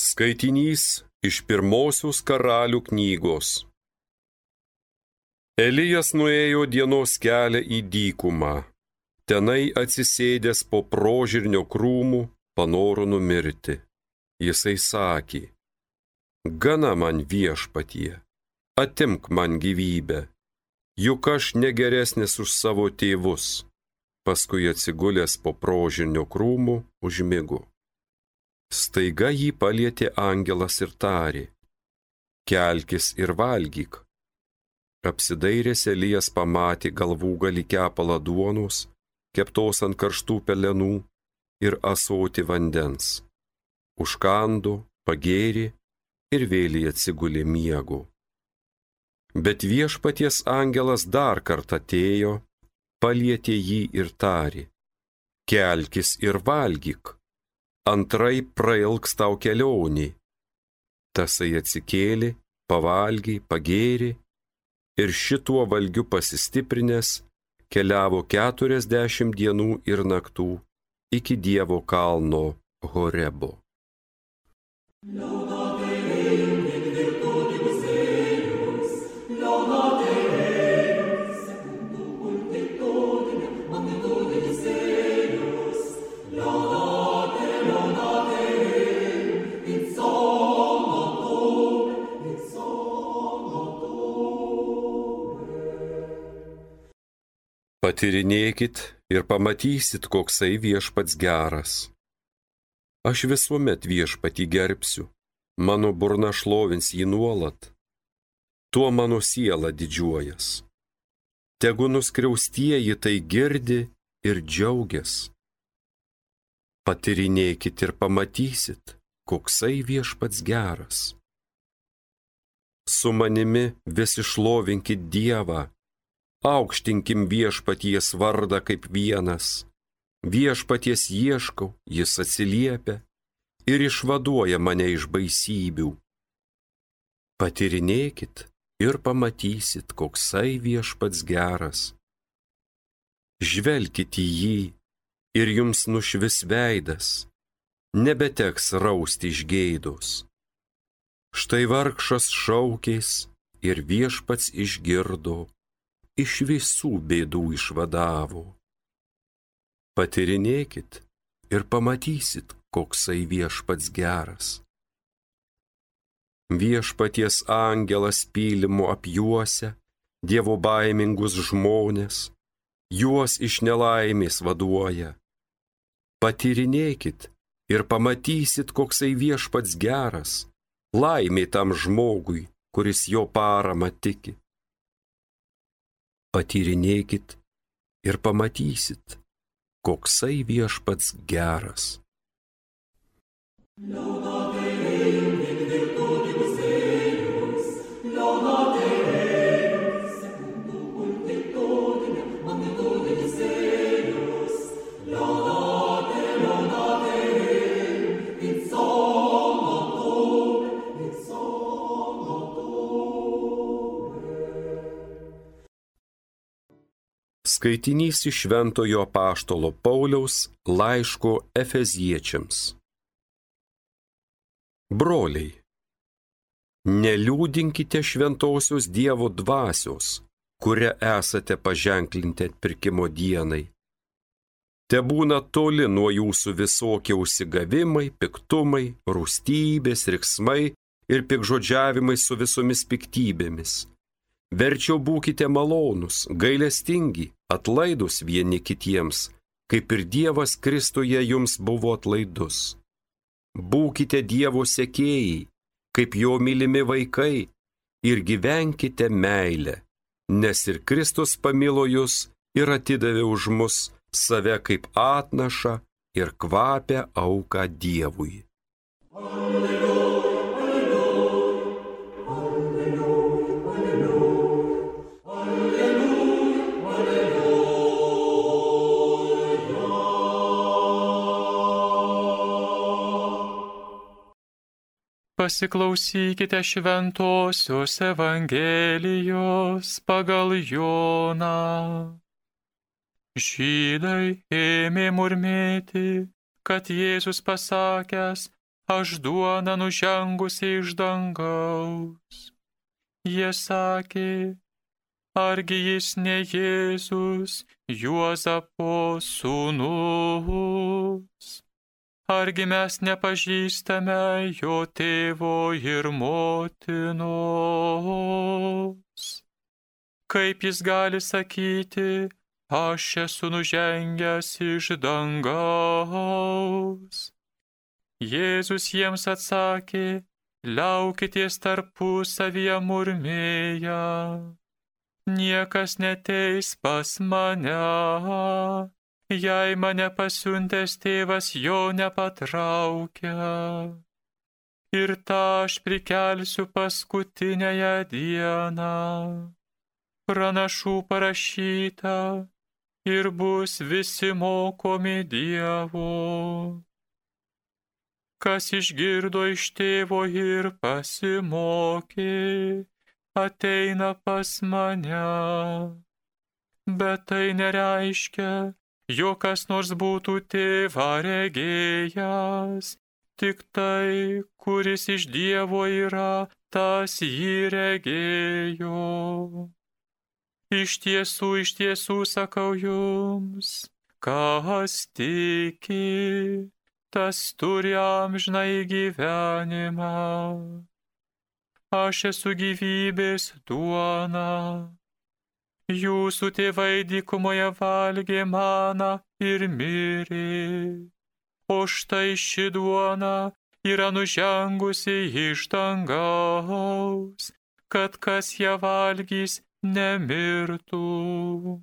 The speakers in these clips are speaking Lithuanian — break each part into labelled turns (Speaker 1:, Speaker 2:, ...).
Speaker 1: Skaitinys iš pirmosios Karalių knygos. Elijas nuėjo dienos kelią į dykumą. Tenai atsisėdęs po prožirnio krūmų panoro numirti. Jisai sakė: Gana man Viešpatie, atimk man gyvybę, juk aš negeresnis už savo tėvus. Paskui atsigulęs po prožirnio krūmų užmigo. Staiga jį palietė angelas ir tarė: Kelkis ir valgyk. Apsidairęs Elijas pamatė galvūgalį kepalą duonos, keptos ant karštų pelenų, ir ąsotį vandens. Užkando, pagėrė ir vėliai atsigulė miego. Bet Viešpaties angelas dar kartą atėjo, palietė jį ir tarė: Kelkis ir valgyk, antraip prailgs tau kelionė. Tasai atsikėlė, pavalgė, pagėrė ir šituo valgiu pasistiprinęs keliavo 40 dienų ir naktų iki Dievo kalno Horebo. Patyrinėkit ir pamatysit, koksai Viešpats geras. Aš visuomet Viešpatį gerbsiu, mano burna šlovins jį nuolat. Tuo mano siela didžiuojas. Tegu nuskriaustieji tai girdi ir džiaugias. Patyrinėkit ir pamatysit, koksai Viešpats geras. Su manimi visi šlovinkit Dievą. Aukštinkim Viešpaties vardą kaip vienas. Viešpaties ieškau, jis atsiliepia ir išvaduoja mane iš baisybių. Patyrinėkit ir pamatysit, koksai Viešpats geras. Žvelkit į jį ir jums nušvis veidas, nebeteks rausti iš gėdos. Štai vargšas šaukės ir Viešpats išgirdo, iš visų bėdų išvadavo. Patyrinėkit ir pamatysit, koksai Viešpats geras. Viešpaties angelas pylimu apjuosia Dievo baimingus žmonės, juos iš nelaimės vaduoja. Patyrinėkit ir pamatysit, koksai Viešpats geras, laimė tam žmogui, kuris jo paramą tiki. Patyrinėkit ir pamatysit, koksai Viešpats geras. Skaitinys iš Šventojo apaštalo Pauliaus laiško Efeziečiams. Broliai, neliūdinkite šventosios Dievo dvasios, kuria esate paženklinti atpirkimo dienai. Tebūna toli nuo jūsų visokie užsigavimai, piktumai, rūstybės, riksmai ir pikžodžiavimai su visomis piktybėmis. Verčiau būkite malonūs, gailestingi, atlaidūs vieni kitiems, kaip ir Dievas Kristuje jums buvo atlaidus. Būkite Dievo sekėjai, kaip jo mylimi vaikai, ir gyvenkite meilę, nes ir Kristus pamilo jus ir atidavė už mus save kaip atnašą ir kvapią auką Dievui.
Speaker 2: Pasiklausykite šventosios Evangelijos pagal Joną. Žydai ėmė murmėti, kad Jėzus pasakęs: aš duona nužengusi iš dangaus. Jie sakė, argi jis ne Jėzus, Juozapo sūnus? Argi mes nepažįstame jo tėvo ir motinos? Kaip jis gali sakyti, aš esu nužengęs iš dangaus? Jėzus jiems atsakė, liaukitės tarpusavyje murmėję. Niekas neteis pas mane, jei mane pasiuntęs tėvas jo nepatraukia. Ir tą aš prikelsiu paskutiniąją dieną. Pranašų parašyta, ir bus visi mokomi Dievo. Kas išgirdo iš tėvo ir pasimokė, ateina pas mane. Bet tai nereiškia, jog kas nors būtų tėvą regėjęs, tik tai, kuris iš Dievo yra, tas jį regėjo. Iš tiesų sakau jums, kas tiki, tas turi amžinąjį gyvenimą. Aš esu gyvybės duona. Jūsų tėvai dykumoje valgė maną ir mirė. O štai ši duona yra nužengusi iš dangaus, kad kas ją valgys, nemirtų.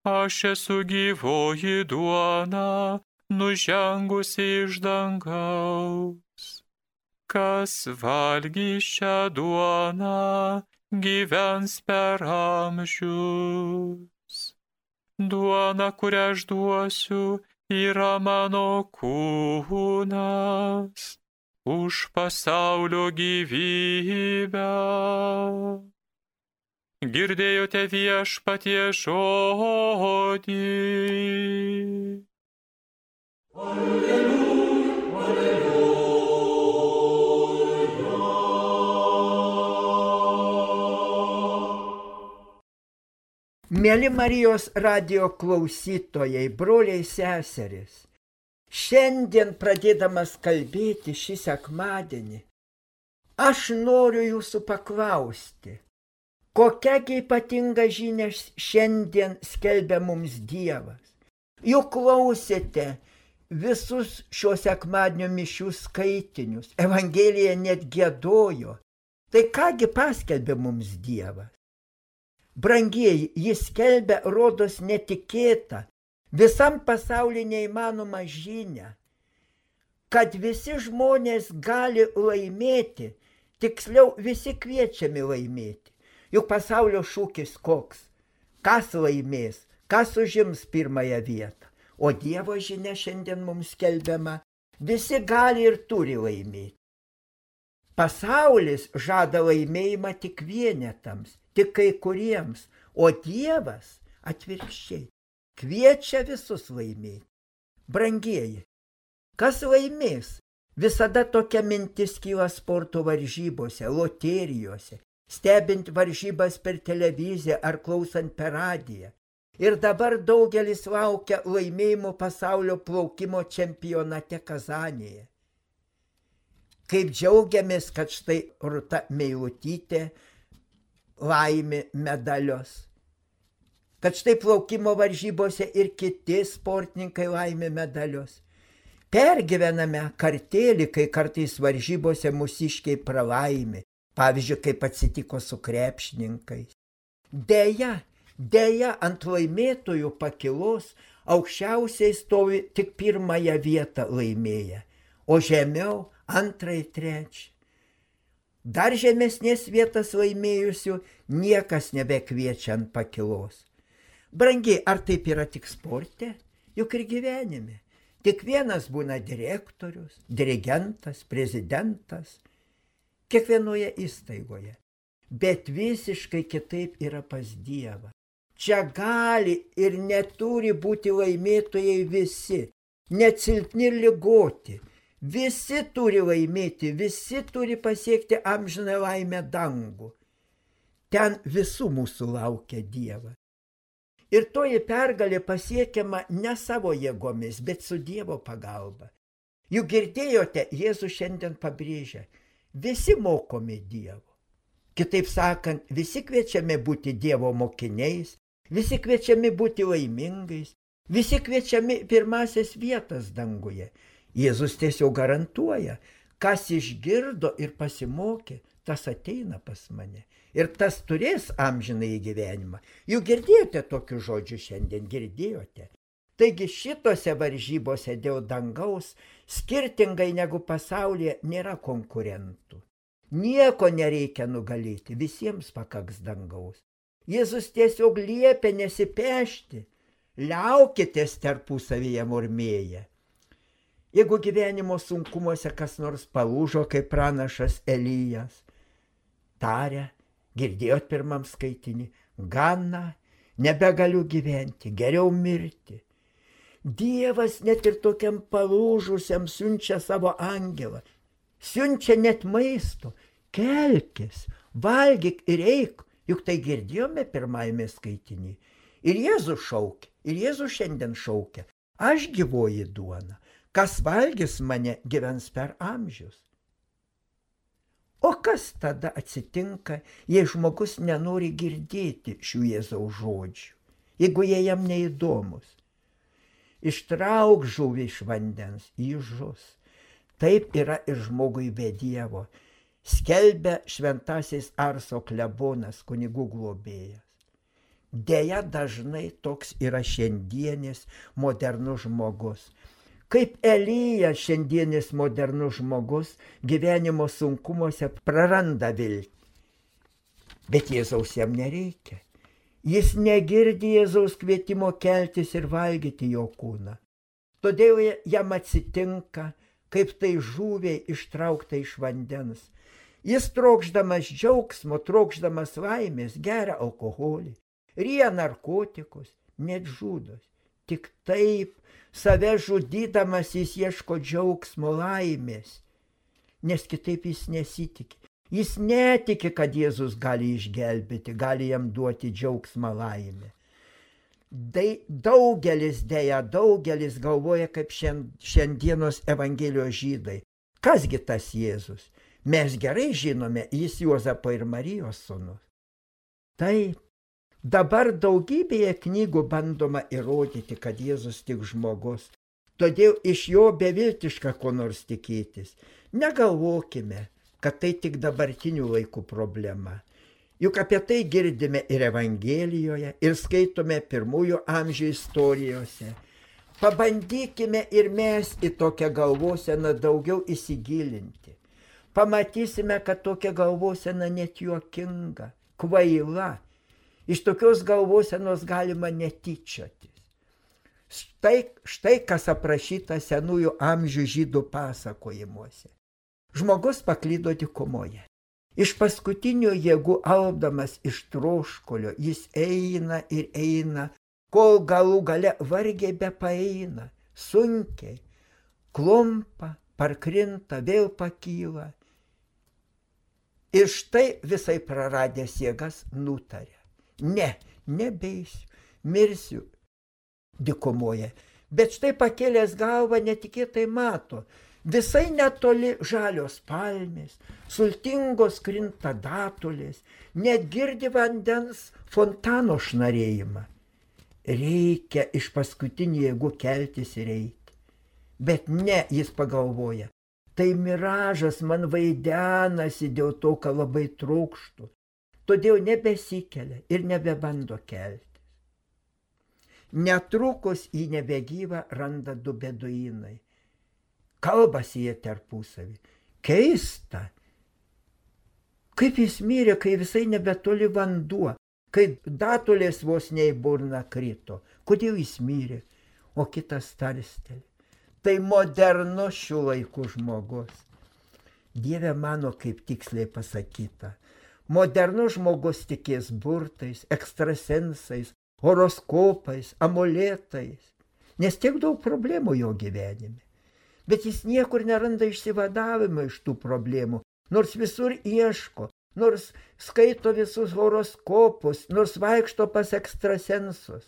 Speaker 2: Aš esu gyvoji duona, nužengusi iš dangaus. Kas valgys šią duoną, gyvens per amžius. Duona, kurią aš duosiu, yra mano kūnas už pasaulio gyvybę. Girdėjote Viešpaties žodį. Alleluja, alleluja.
Speaker 3: Mėly Marijos radijo klausytojai, broliai seserys, šiandien pradėdamas kalbėti šį sekmadienį, aš noriu jūsų paklausti, kokiagi ypatinga žinia šiandien skelbia mums Dievas. Juk klausėte visus šio sekmadienio mišių skaitinius, Evangelija net giedojo. Tai kągi paskelbė mums Dievas? Brangieji, jis skelbia, rodos netikėtą, visam pasauliu neįmanomą žinią, kad visi žmonės gali laimėti, tiksliau visi kviečiami laimėti. Juk pasaulio šūkis koks? Kas laimės, kas užims pirmąją vietą? O Dievo žinia šiandien mums skelbiama, visi gali ir turi laimėti. Pasaulis žada laimėjimą tik vienetams, tik kai kuriems, o Dievas atvirkščiai kviečia visus laimėti. Brangieji, kas laimės? Visada tokia mintis kyla sporto varžybose, loterijose, stebint varžybas per televiziją ar klausant per radiją. Ir dabar daugelis laukia laimėjimo pasaulio plaukimo čempionate Kazanėje. Kaip džiaugiamės, kad štai Rūta Meilutytė laimi medalius. Kad štai plaukimo varžybose ir kiti sportininkai laimi medalius. Pergyvename kartėlį, kai kartais varžybose mūsiškiai pralaimi. Pavyzdžiui, kaip atsitiko su krepšininkais. Deja, ant laimėtojų pakilos aukščiausiai stovi tik pirmąją vietą laimėję, o žemiau antrai, trečiai. Dar žemesnės vietas laimėjusių niekas nebekviečia ant pakilos. Brangiai, ar taip yra tik sporte? Juk ir gyvenime. Tik vienas būna direktorius, dirigentas, prezidentas, kiekvienoje įstaigoje. Bet visiškai kitaip yra pas Dievą. Čia gali ir neturi būti laimėtojai visi, net silpni ir ligoti, Visi turi laimėti, visi turi pasiekti amžiną laimę dangų. Ten visų mūsų laukia Dievas. Ir toji pergalė pasiekiama ne savo jėgomis, bet su Dievo pagalba. Juk girdėjote, Jėzus šiandien pabrėžia, visi mokomi Dievo. Kitaip sakant, visi kviečiami būti Dievo mokiniais, visi kviečiami būti laimingais, visi kviečiami pirmasias vietas danguje. Jėzus tiesiog garantuoja, kas išgirdo ir pasimokė, tas ateina pas mane. Ir tas turės amžinąjį gyvenimą. Juk girdėjote tokius žodžius šiandien, girdėjote. Taigi šitose varžybose dėl dangaus, skirtingai negu pasaulyje, nėra konkurentų. Nieko nereikia nugalėti, visiems pakaks dangaus. Jėzus tiesiog liepia nesipešti, liaukitės tarpusavyje murmėję. Jeigu gyvenimo sunkumuose kas nors palūžo, kaip pranašas Elijas, taria, girdėjot pirmam skaitinį, gana, nebegaliu gyventi, geriau mirti. Dievas net ir tokiam palūžusiam siunčia savo angelą, siunčia net maisto, kelkis, valgyk ir eik, juk tai girdėjome pirmajame skaitinį. Ir Jėzus šaukia, ir Jėzus šiandien šaukia, aš gyvoji duona, kas valgys mane gyvens per amžius. O kas tada atsitinka, jei žmogus nenori girdėti šių Jėzaus žodžių, jeigu jie jam neįdomus? Ištrauk žuvį iš vandens, jis žus. Taip yra ir žmogui be Dievo, skelbia šventasis Arso klebonas, kunigų globėjas. Deja, dažnai toks yra šiandienis modernus žmogus. Kaip Elijas, šiandienis modernus žmogus, gyvenimo sunkumuose praranda viltį. Bet Jėzaus jam nereikia. Jis negirdi Jėzaus kvietimo keltis ir valgyti jo kūną. Todėl jam atsitinka, kaip tai žuviai ištraukta iš vandens. Jis trokšdamas džiaugsmo, trokšdamas laimės, geria alkoholį, ryja narkotikus, net žudos. Tik taip, save žudydamas jis ieško džiaugsmo, laimės, nes kitaip jis nesitikė. Jis netiki, kad Jėzus gali išgelbėti, gali jam duoti džiaugsmą, laimę. Daugelis galvoja, kaip šiandienos Evangelijos žydai. Kasgi tas Jėzus? Mes gerai žinome, jis Juozapo ir Marijos sūnus. Taip. Dabar daugybėje knygų bandoma įrodyti, kad Jėzus tik žmogus, todėl iš jo beviltiška ko nors tikėtis. Negalvokime, kad tai tik dabartinių laikų problema. Juk apie tai girdime ir Evangelijoje, ir skaitome pirmųjų amžių istorijose. Pabandykime ir mes į tokią galvoseną daugiau įsigilinti. Pamatysime, kad tokia galvosena net juokinga, kvaila. Iš tokios galvosenos galima netyčiotis. Štai kas aprašyta senųjų amžių žydų pasakojimuose. Žmogus paklydo dykumoje. Iš paskutinių jėgų alpdamas iš troškulio, jis eina ir eina, kol galų gale vargiai bepaeina, sunkiai, klumpa, parkrinta, vėl pakyla. Ir štai visai praradęs jėgas nutarė. Ne, nebeisiu, mirsiu dykumoje. Bet štai pakėlęs galvą netikėtai mato, visai netoli žalios palmės, sultingos krinta datulės, net girdi vandens fontano šnarėjimą. Reikia iš paskutinių jėgų keltis ir eiti. Bet ne, jis pagalvoja, tai miražas man vaidenasi dėl to, ką labai trokštu. Todėl nebesikelia ir nebebando keltis. Netrukus į nebegyvą randa du beduinai. Kalbasi jie tarpusavį. Keista. Kaip jis mirė, kai visai nebetoli vanduo, kai datulės vos ne į burną krito. Kodėl jis mirė? O kitas tarsteli. Tai modernus šių laikų žmogus. Dieve mano, kaip tiksliai pasakyta. Modernus žmogus tikės burtais, ekstrasensais, horoskopais, amuletais, nes tiek daug problemų jo gyvenime. bet jis niekur neranda išsivadavimo iš tų problemų, nors visur ieško, nors skaito visus horoskopus, nors vaikšto pas ekstrasensus.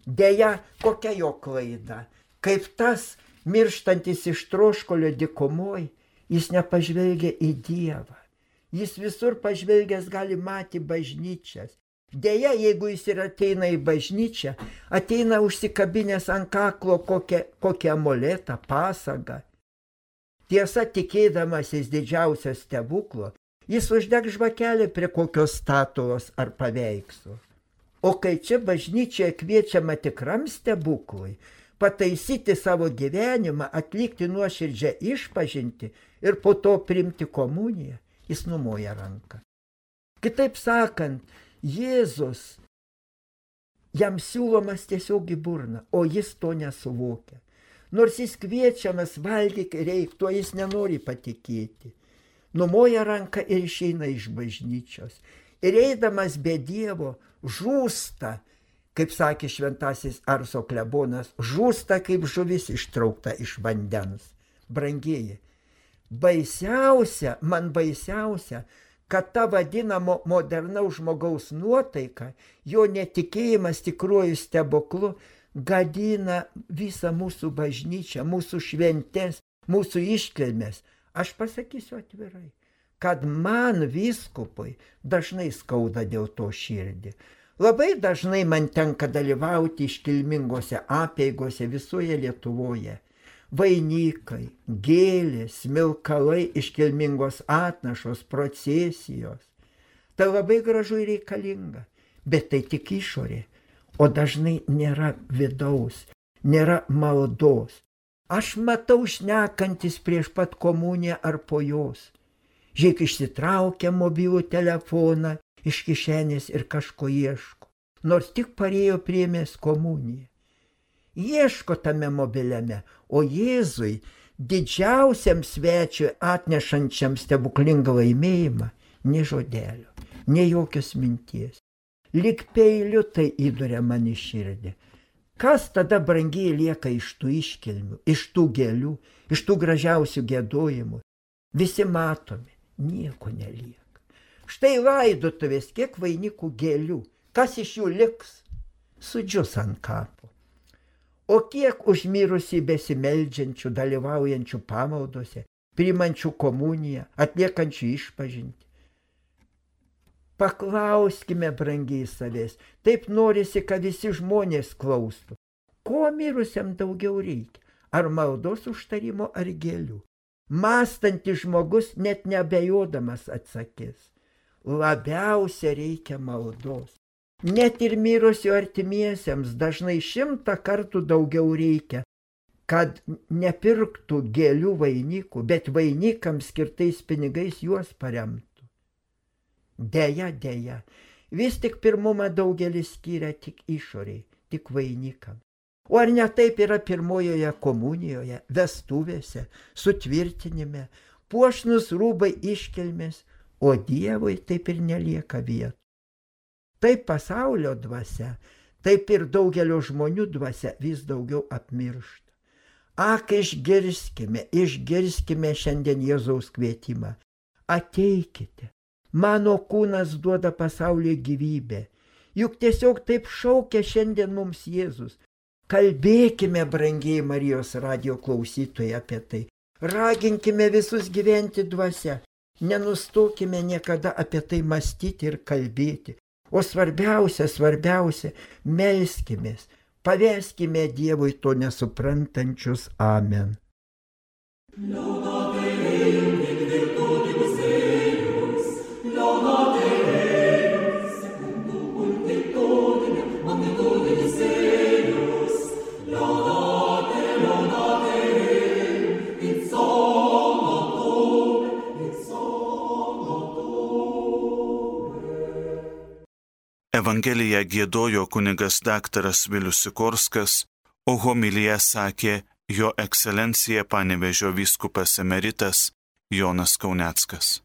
Speaker 3: Deja, kokia jo klaida? Kaip tas mirštantis iš troškulio dykumoj, jis nepažvelgia į Dievą. Jis visur pažvelgęs gali matyti bažnyčias. Deja, jeigu jis ir ateina į bažnyčią, ateina užsikabinęs ant kaklo kokią amuletą, pasagą. Tiesa, tikėdamasis didžiausio stebuklo, jis uždeg žvakelį prie kokios statulos ar paveikslo. O kai čia bažnyčioje kviečiama tikram stebuklui, pataisyti savo gyvenimą, atlikti nuoširdžią išpažintį ir po to priimti komuniją, jis numoja ranką. Kitaip sakant, Jėzus, jam siūlomas tiesiog į burną, o jis to nesuvokia. Nors jis kviečiamas valgyk reik, tuo jis nenori patikėti. Numoja ranką ir išeina iš bažnyčios. Ir eidamas be Dievo žūsta, kaip sakė šventasis Arso klebonas, žūsta kaip žuvis ištraukta iš vandens. Brangieji, man baisiausia, kad ta vadinamo modernaus žmogaus nuotaika, jo netikėjimas tikruoju stebuklu, gadina visą mūsų bažnyčią, mūsų šventes, mūsų iškilmes. Aš pasakysiu atvirai, kad man vyskupui dažnai skauda dėl to širdį. Labai dažnai man tenka dalyvauti iškilmingose apeigose visoje Lietuvoje. Vainikai, gėlės, smilkalai, iškilmingos atnašos, procesijos. Tai labai gražu ir reikalinga, bet tai tik išorė, o dažnai nėra vidaus, nėra maldos. Aš matau šnekantis prieš pat komuniją ar po jos. Žiūrėk, išsitraukia mobilų telefoną iš kišenės ir kažko ieško, nors tik parėjo priėmęs komuniją. Ieško tame mobiliame, o Jėzui, didžiausiam svečiui atnešančiam stebuklingą laimėjimą, nė žodelio, nė jokios minties. Lyg peiliu tai įduria man į širdį. Kas tada brangiai lieka iš tų iškilmių, iš tų gėlių, iš tų gražiausių giedojimų? Visi matomi, nieko nelieka. Štai laidotuvės, kiek vainikų gėlių, kas iš jų liks? Sudžius ant kapo. O kiek užmirusį besimeldžiančių, dalyvaujančių pamaldose, priimančių komuniją, atliekančių išpažintį. Paklauskime brangiai savęs, taip norisi, kad visi žmonės klaustų. Ko mirusiam daugiau reikia? Ar maldos užtarimo, ar gėlių? Mąstantis žmogus net neabejodamas atsakys. Labiausia reikia maldos. Net ir mirusio artimiesiems dažnai 100 kartų daugiau reikia, kad nepirktų gėlių vainikų, bet vainikams skirtais pinigais juos paremtų. Deja, vis tik pirmumą daugelis skiria tik išoriai, tik vainikam. O ar ne taip yra pirmojoje komunijoje, vestuvėse, sutvirtinime, puošnus rūbai iškilmės, o Dievui taip ir nelieka vietų. Taip pasaulio dvasia, taip ir daugelio žmonių dvasia vis daugiau apmiršta. Ak, išgirskime šiandien Jėzaus kvietimą. Ateikite, mano kūnas duoda pasauliui gyvybę. Juk tiesiog taip šaukia šiandien mums Jėzus. Kalbėkime, brangiai Marijos radijo klausytojai, apie tai. Raginkime visus gyventi dvasia. Nenustokime niekada apie tai mąstyti ir kalbėti. O svarbiausia, melskimės, paveskime Dievui to nesuprantančius. Amen.
Speaker 4: Evangeliją giedojo kunigas daktaras Vilius Sikorskas, o homiliją sakė jo ekscelencija Panevėžio vyskupas emeritas Jonas Kauneckas.